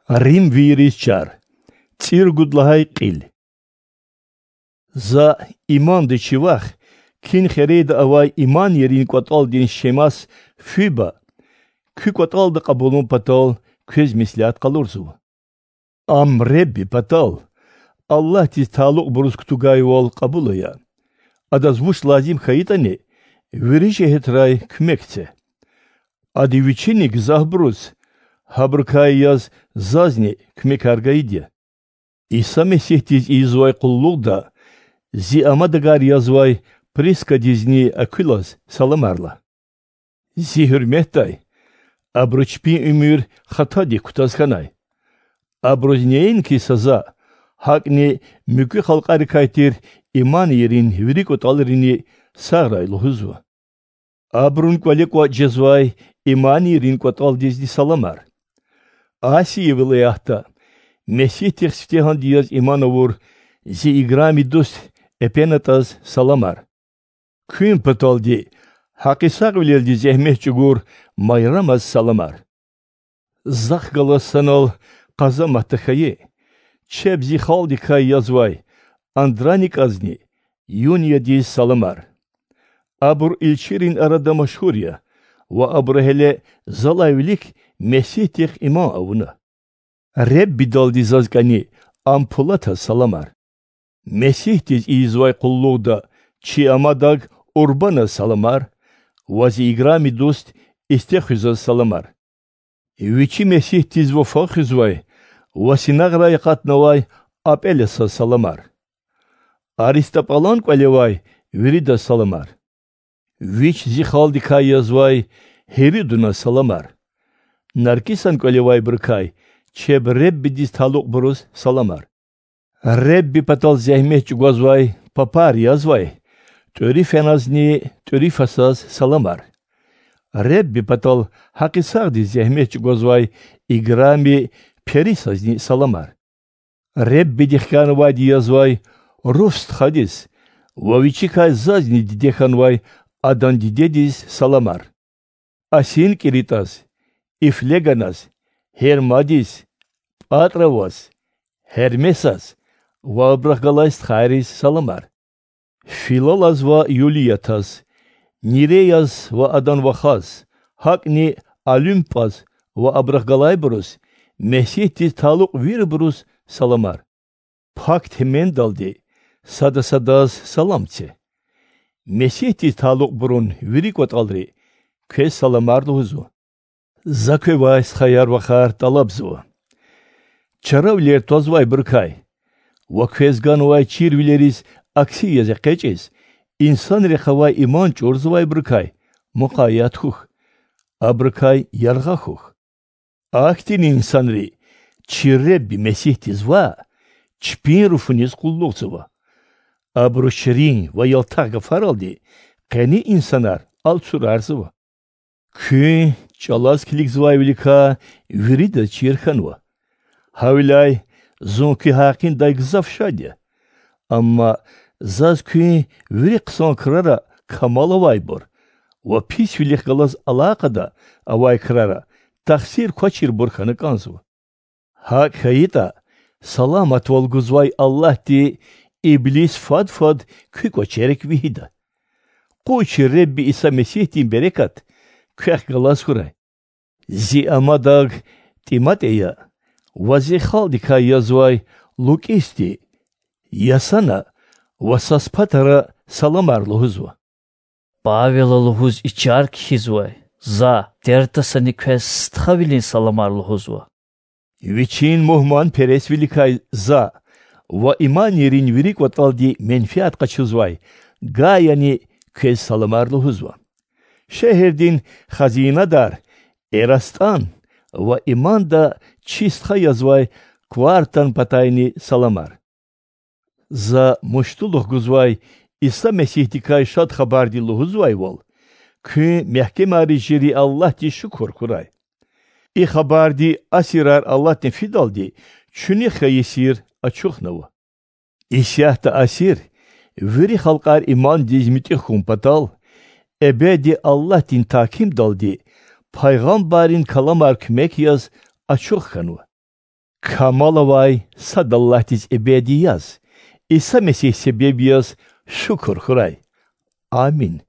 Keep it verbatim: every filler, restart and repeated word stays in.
Римвийриз чар. ЦӀуругуд лагьай кьил. За, имандин чи вах, Кинхерейда авай иманийрин кӀватӀалдин шемас Фиба, куь кӀватӀалда кьабулун патал квез меслят къалурзава. Ам Худа патал, Аллагьдиз талукьбуруз кутугайвал, кьабул ая. Адаз вуч лазим хьайитӀани, вири жигьетрай куьмек це. Ада Вичини гзафбуруз, гьабурукай яз зазни куьмекар гайиди я. Иса Месигьдиз ийизвай къуллугъда Зи амадагар язвай Прискадизни Аквилаз саламар лагь. Зи гьуьрметдай, абуру чпин уьмуьр хатадик кутаз хьанай. Абуруз неинки са за, гьакӀни муькуь халкьарикай тир иманийрин вири кӀватӀалрини сагърай лугьузва. Абурун кӀвале кӀватӀ жезвай иманийрин кӀватӀалдизни саламар. Асия вилаятда Месигьдихъ сифтегьанди яз иман авур зи играми дуст Эпенатаз саламар. Куьн паталди гьакъисагъвилелди зегьмет чӀугур Майрамаз саламар. Захъ галаз санал къазаматда хьайи, чеб зи халкьдикай язвай Андроникъазни Юниядиз саламар. Абур илчийрин арада машгьур я ва абуру гьеле залай вилик Месигьдихъ иман авуна. Худадалди заз кӀани Ампулатаз саламар. Месигьдиз ийизвай къуллугъда чи амадаг Урбаназ саламар ва зи играми дуст Истехуьзаз саламар. Вичи Месигьдиз вафа хуьзвай ва синагърай акъатнавай Апелесаз саламар. Аристопулан кӀвале авай виридаз саламар. Вич зи халкьдикай язвай Гьирудуназ саламар. Наркисан кӀвале авайбурукай чеб Худадиз талукьбуруз саламар. Худа патал зегьмет чӀугвазвай папар язвай Труфеназни Труфасаз саламар. Худа патал гьакъисагъдиз зегьмет чӀугвазвай играми Перисазни саламар. Худадихъ кӀанзавайди язвай Руф стхадиз ва вичикай зазни диде хьанвай адан дидедиз саламар. АсинкӀиритӀаз, И-Флеганаз, Гьермадиз, Патраваз, Гьермесаз ва абурухъ галай стхайриз саламар. Филалаз ва Юлиятаз, Нереяз ва адан вахаз, гьакӀни Олимпаз ва абурухъ галайбуруз, Месигьдиз талукь вирибуруз саламар. Пак темендалди сада-садаз салам це. Месигьдиз талукьбурун вири кӀватӀалри квез саламар лугьузва. За квевай, стхаяр-вахар, тӀалабзава: чаравилер твазвайбурукай ва квез ганвай чирвилериз акси яз экъечӀиз, инсанрихъ авай иман чӀурзавайбурукай мукъаят хьухь, абурукай яргъа хьухь. Ахьтин инсанри чи Худа Месигьдиз ваъ, чпин руфуниз къуллугъзава. Абуру ширин ва ялтах гафаралди къени инсанар алцурарзава. Куьн чӀалаз килигзавайвиликай виридаз чир хьанва. Гьавиляй зун куь гьакъиндай гзаф шад я. Амма заз куьн вири хъсан крара камал авайбур ва писвилихъ галаз алакъада авай крара тахсир квачирбур хьана кӀанзава. ГьакӀ хьайитӀа, саламатвал гузвай Аллагьди иблис фад-фад куь кӀвачерик вегьида. Къуй чи Худа Иса Месигьдин берекат квехъ галаз хьурай. Зи амадаг ТӀиматӀея ва зи халкьдикай язвай Лукьисди Ясана ва Саспатара саламар лугьузва. Павела лугьуз и чар кхьизвай за Тертасани квез стхавилин саламар лугьузва. Вичин мугьманпересвиликай за ва иманийрин вири кӀватӀалди менфят къачузвай Гаяни квез саламар лугьузва. Шегьердин хазинадар ЭрастӀан ва иманда чи стха язвай Квартан патайни саламар. За муштулух гузвай Иса Месигьдикай Шад Хабарди лугьузвайвал, куьн мягькемариз жери Аллагьдиз шукур хьурай. И хабарди асирар алатна фидалди чуьнуьхъ хьайи сир ачухнава. Исятда асир, вири халкьар имандиз муьтӀуьгъ хьун патал, эбеди Аллагьдин тагькимдалди пайгъамбаррин каламар куьмек яз ачух хьанва. Камал авай сад Аллагьдиз эбеди яз, Иса Месигь себеб яз, шукур хьурай. Амин.